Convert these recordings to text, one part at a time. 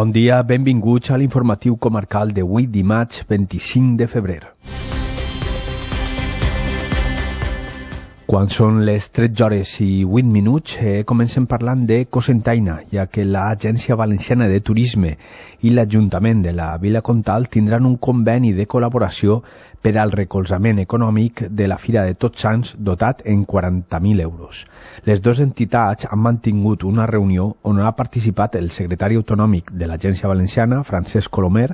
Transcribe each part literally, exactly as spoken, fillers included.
Bon dia, benvinguts a l'informatiu comarcal d'avui dimarts vint-i-cinc de febrer. Quan són les tretze hores i vuit minuts, eh, comencem parlant de Cocentaina, ja que l'Agència Valenciana de Turisme i l'Ajuntament de la Vila Comtal tindran un conveni de col·laboració per al recolzament econòmic de la Fira de Tots Sants dotat en quaranta mil euros. Les dues entitats han mantingut una reunió on ha participat el secretari autonòmic de l'Agència Valenciana, Francesc Colomer,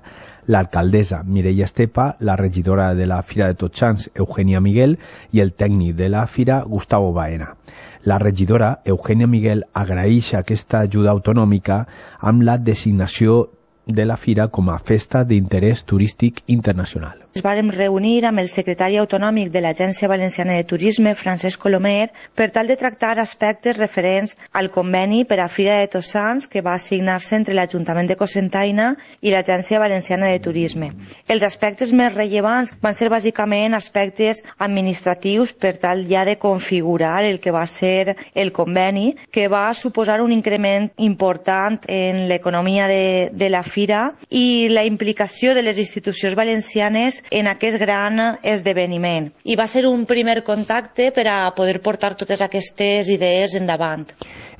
l'alcaldessa Mireia Estepa, la regidora de la Fira de Tots Sants, Eugènia Miguel, i el tècnic de la Fira, Gustavo Baena. La regidora, Eugènia Miguel, agraeix aquesta ajuda autonòmica amb la designació de la Fira com a festa d'interès turístic internacional. Ens vàrem reunir amb el secretari autonòmic de l'Agència Valenciana de Turisme, Francesc Colomer, per tal de tractar aspectes referents al conveni per a Fira de Tots Sants que va signar-se entre l'Ajuntament de Cocentaina i l'Agència Valenciana de Turisme. Els aspectes més rellevants van ser bàsicament aspectes administratius per tal ja de configurar el que va ser el conveni, que va suposar un increment important en l'economia de, de la Fira i la implicació de les institucions valencianes en aquest gran esdeveniment. I va ser un primer contacte per a poder portar totes aquestes idees endavant.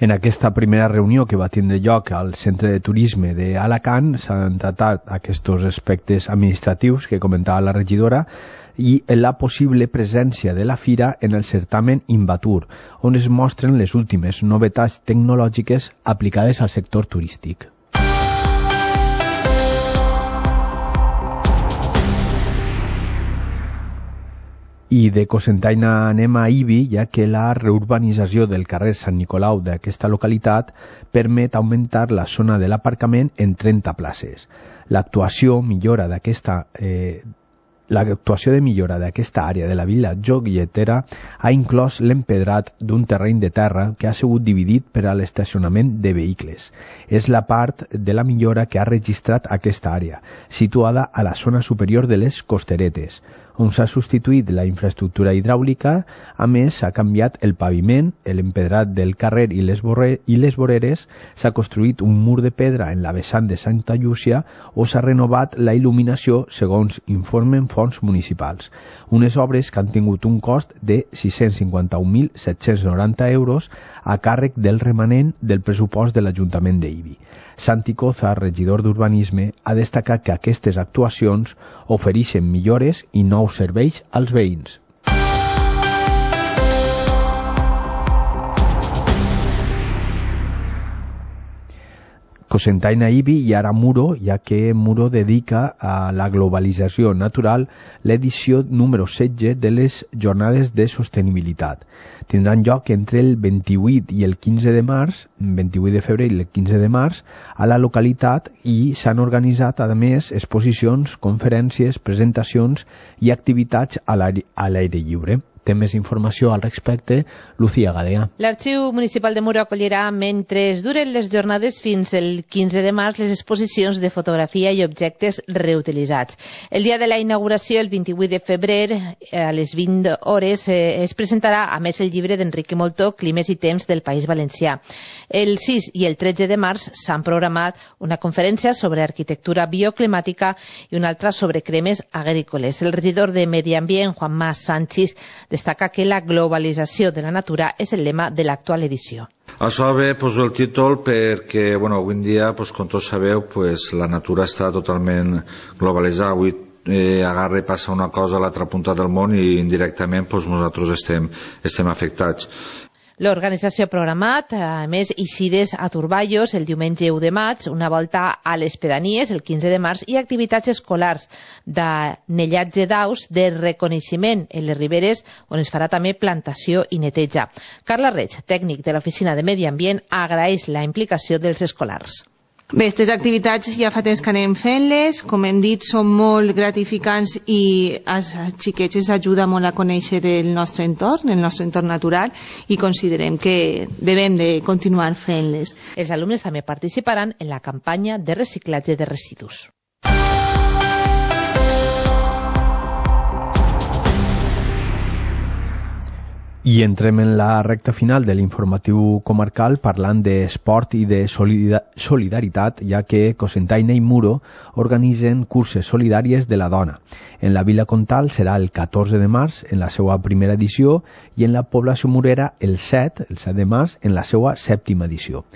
En aquesta primera reunió que va tindre lloc al Centre de Turisme d'Alacant s'han tratat aquests aspectes administratius que comentava la regidora i la possible presència de la Fira en el certamen Invatur, on es mostren les últimes novetats tecnològiques aplicades al sector turístic. I de Cocentaina anem a Ibi, ja que la reurbanització del carrer Sant Nicolau d'aquesta localitat permet augmentar la zona de l'aparcament en trenta places. L'actuació millora d'aquesta eh, L'actuació de millora d'aquesta àrea de la vila joguetera ha inclòs l'empedrat d'un terreny de terra que ha sigut dividit per a l'estacionament de vehicles. És la part de la millora que ha registrat aquesta àrea, situada a la zona superior de les costeretes, on s'ha substituït la infraestructura hidràulica. A més, s'ha canviat el paviment, l'empedrat del carrer i les, borre, i les voreres, s'ha construït un mur de pedra en la vessant de Santa Llúcia o s'ha renovat la il·luminació, segons informen fons municipals. Unes obres que han tingut un cost de sis-cents cinquanta-un mil set-cents noranta euros a càrrec del remanent del pressupost de l'Ajuntament d'Ibi. Santi Coza, regidor d'Urbanisme, ha destacat que aquestes actuacions ofereixen millores i nous serveis als veïns. Cocentaina Ibi i ara Muro, ja que Muro dedica a la globalització natural l'edició número setze de les Jornades de Sostenibilitat. Tindran lloc entre el vint-i-vuit i el quinze de març, vint-i-vuit de febrer i el quinze de març, a la localitat, i s'han organitzat, a més, exposicions, conferències, presentacions i activitats a l'aire lliure. Té més informació al respecte, Lucía Gadea. L'Arxiu Municipal de Muro acollirà, mentre duren les jornades fins el quinze de març, les exposicions de fotografia i objectes reutilitzats. El dia de la inauguració, el vint-i-vuit de febrer, a les vint hores, eh, es presentarà, a més, el llibre d'Enrique Moltó, Climes i temps del País Valencià. El sis i el tretze de març s'han programat una conferència sobre arquitectura bioclimàtica i una altra sobre cremes agrícoles. El regidor de Medi Ambient, Juanma Sánchez, destaca que la globalització de la natura és el lema de l'actual edició. Això bé, poso el títol perquè, bueno, avui en dia, pues, com tots sabeu, pues, la natura està totalment globalitzada. Avui eh, agarra i passa una cosa a l'altra punta del món i indirectament pues, nosaltres estem, estem afectats. L'organització ha programat, a més, eixides a Turballos el diumenge u de maig, una volta a les pedanies el quinze de març i activitats escolars d'anellatge d'aus de reconeixement en les riberes, on es farà també plantació i neteja. Carla Reig, tècnic de l'Oficina de Medi Ambient, agraeix la implicació dels escolars. Bé, aquestes activitats ja fa temps que anem fent-les, com hem dit, són molt gratificants i als xiquets ens ajuda molt a conèixer el nostre entorn, el nostre entorn natural, i considerem que devem de continuar fent-les. Els alumnes també participaran en la campanya de reciclatge de residus. I entrem en la recta final de l'informatiu comarcal parlant d'esport i de solidaritat, ja que Cocentaina i Muro organitzen curses solidàries de la dona. En la Vila Comtal serà el catorze de març en la seva primera edició i en la població murera el set, el set de març, en la seva sèptima edició.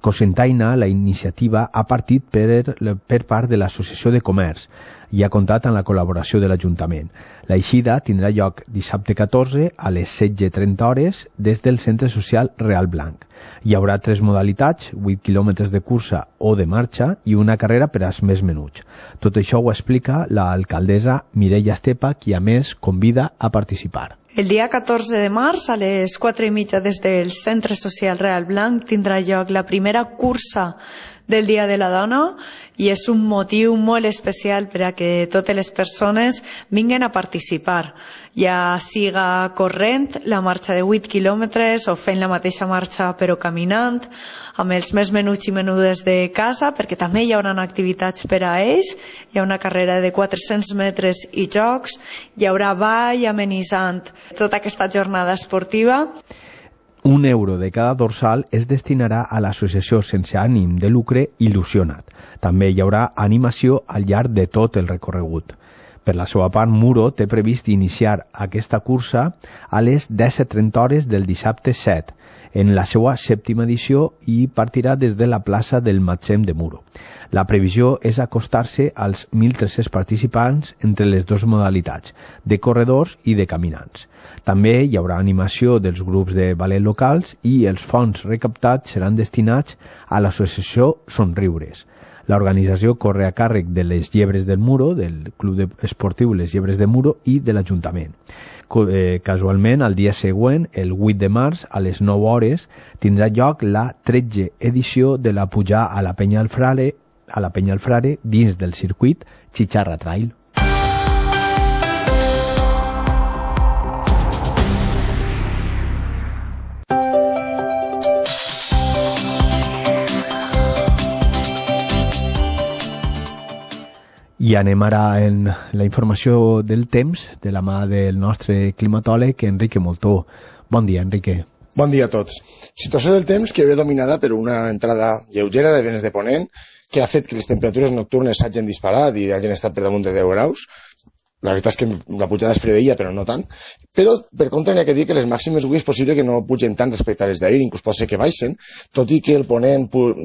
Cocentaina, la iniciativa, ha partit per, per part de l'Associació de Comerç i ha comptat amb la col·laboració de l'Ajuntament. La eixida tindrà lloc dissabte catorze a les setze trenta hores des del Centre Social Real Blanc. Hi haurà tres modalitats, vuit quilòmetres de cursa o de marxa i una carrera per als més menuts. Tot això ho explica l'alcaldessa Mireia Estepa, qui a més convida a participar. El dia catorze de març, a les quatre i mitja des del Centre Social Real Blanc, tindrà lloc la primera cursa del Dia de la Dona i és un motiu molt especial per a que totes les persones vinguen a participar, ja siga corrent la marxa de vuit quilòmetres o fent la mateixa marxa però caminant, amb els més menuts i menudes de casa, perquè també hi haurà activitats per a ells, hi ha una carrera de quatre-cents metres i jocs, hi haurà ball amenitzant tota aquesta jornada esportiva. Un euro de cada dorsal es destinarà a l'associació sense ànim de lucre Il·lusionat. També hi haurà animació al llarg de tot el recorregut. Per la seva part, Muro té previst iniciar aquesta cursa a les disset trenta hores del dissabte set, en la seva sèptima edició, i partirà des de la plaça del Matsem de Muro. La previsió és acostar-se als mil tres-cents participants entre les dues modalitats, de corredors i de caminants. També hi haurà animació dels grups de ballet locals i els fons recaptats seran destinats a l'associació Somriures. L'organització corre a càrrec de les Llebres del Muro, del Club Esportiu Les Llebres de Muro i de l'Ajuntament. Casualment, el dia següent, el vuit de març, a les nou hores, tindrà lloc la tretze edició de la pujada a la Penya del Frare, a la Penya del Frare dins del circuit Chicharra Trail. I anem ara en la informació del temps de la mà del nostre climatòleg Enrique Moltó. Bon dia, Enrique. Bon dia a tots. Situació del temps que ve dominada per una entrada lleugera de vents de ponent que ha fet que les temperatures nocturnes s'hagin disparat i hagin estat per damunt de deu graus. La veritat és que la pujada es preveia, però no tant. Però, per contra, n'hi ha que dir que les màximes avui és possible que no pugen tant respecte a les d'ahir, inclús pot ser que baixen, tot i que el ponent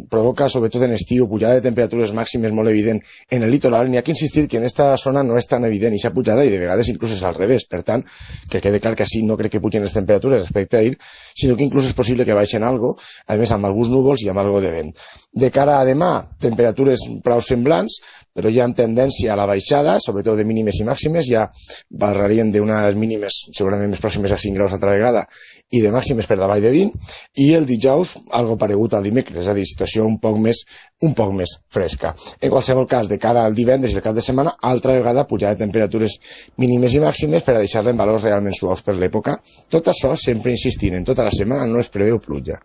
provoca, sobretot en estiu, pujada de temperatures màximes molt evident en el litoral. N'hi ha que insistir que en esta zona no és tan evident aquesta pujada i de vegades inclús és al revés. Per tant, que quede clar que així no crec que pugen les temperatures respecte a ahir, sinó que inclús és possible que baixen algo, a més amb alguns núvols i amb algo de vent. De cara a demà, temperatures prou semblants, però ja amb tendència a la baixada, sobretot de mínimes i màximes, ja barrarien d'unes mínimes segurament més pròximes a cinc graus altra vegada i de màximes per davall de vint, i el dijous algo paregut al dimecres, és a dir, situació un poc més un poc més fresca. En qualsevol cas, de cara al divendres i al cap de setmana, altra vegada pujada de temperatures mínimes i màximes per a deixar-la en valors realment suaus per l'època. Tot això sempre insistint, en tota la setmana no es preveu pluja.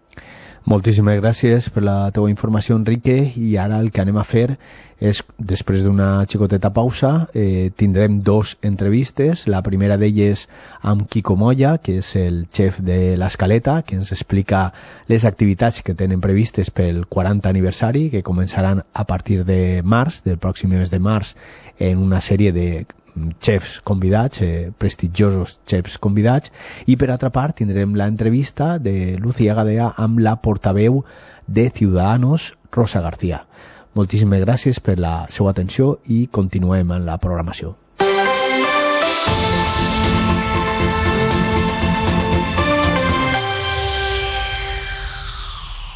Moltíssimes gràcies per la teva informació, Enrique, i ara el que anem a fer és, després d'una xicoteta pausa, eh, tindrem dos entrevistes. La primera d'elles amb Quico Moya, que és el xef de l'Escaleta, que ens explica les activitats que tenen previstes pel quaranta aniversari, que començaran a partir de març, del pròxim mes de març, en una sèrie de xefs convidats, eh, prestigiosos xefs convidats, i per altra part tindrem l'entrevista de Lucía Gadea amb la portaveu de Ciudadanos, Rosa García. Moltíssimes gràcies per la seva atenció i continuem en la programació.